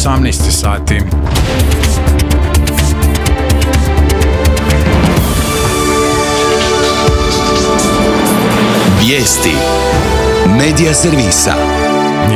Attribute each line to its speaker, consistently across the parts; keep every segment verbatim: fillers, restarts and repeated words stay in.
Speaker 1: osamnaest sati.
Speaker 2: Vijesti Medija servisa.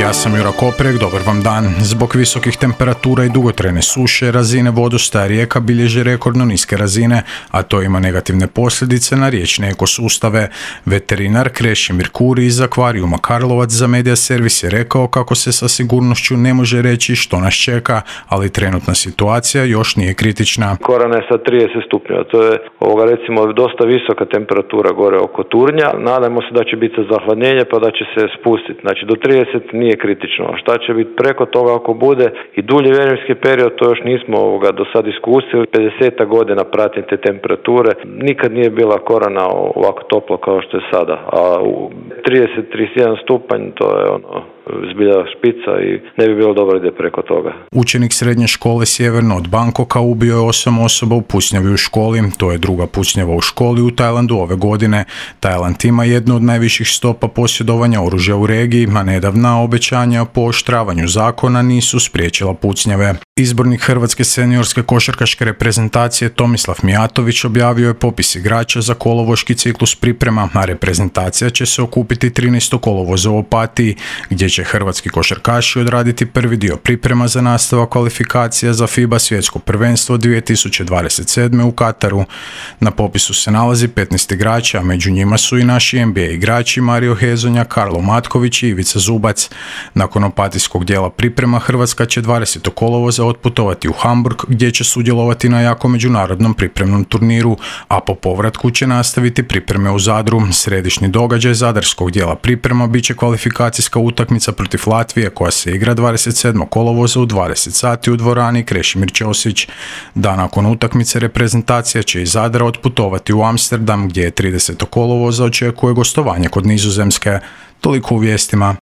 Speaker 1: Ja sam Jura Koprek, dobar vam dan. Zbog visokih temperatura i dugotrajne suše, razine vodostaja rijeka bilježe rekordno niske razine, a to ima negativne posljedice na riječne ekosustave. Veterinar Krešimir Kuri iz akvarijuma Karlovac za Medija servis je rekao kako se sa sigurnošću ne može reći što nas čeka, ali trenutna situacija još nije kritična.
Speaker 3: Korana je sad trideset stupnjeva, to je ovoga recimo dosta visoka temperatura gore oko Turnja. Nadamo se da će biti zahladnjenje pa da će se spustiti. Znači do trideset nije kritično. A šta će biti preko toga ako bude i dulji vremenski period, to još nismo ovoga do sad iskusili. pedeset godina pratim te temperature. Nikad nije bila Korana ovako toplo kao što je sada. A u trideset do trideset jedan stupanj to je ono zbilja špica i ne bi bilo dobro ide preko toga.
Speaker 1: Učenik srednje škole sjeverno od Bangkoka ubio je osam osoba u pucnjavi u školi. To je druga pucnjava u školi u Tajlandu ove godine. Tajland ima jednu od najviših stopa posjedovanja oružja u regiji, a nedavna obećanja o pooštravanju zakona nisu spriječila pucnjave. Izbornik Hrvatske seniorske košarkaške reprezentacije Tomislav Mijatović objavio je popis igrača za kolovoški ciklus priprema, a reprezentacija će se okupiti trinaestog kolovoza u Opatiji, gdje će hrvatski košarkaši odraditi prvi dio priprema za nastavak kvalifikacija za FIBA svjetsko prvenstvo dvije tisuće dvadeset sedme u Kataru. Na popisu se nalazi petnaest igrača, a među njima su i naši N B A igrači Mario Hezonja, Karlo Matković i Ivica Zubac. Nakon opatijskog dijela priprema Hrvatska će dvadesetog kolovoza otputovati u Hamburg, gdje će sudjelovati na jako međunarodnom pripremnom turniru, a po povratku će nastaviti pripreme u Zadru. Središnji događaj zadarskog dijela priprema bit će kvalifikacijska utakmica protiv Latvije koja se igra dvadeset sedmog kolovoza u dvadeset sati u dvorani Krešimir Ćosić. Dan nakon utakmice reprezentacija će iz Zadra otputovati u Amsterdam, gdje je tridesetog kolovoza očekuje gostovanje kod Nizozemske. Toliko u vijestima.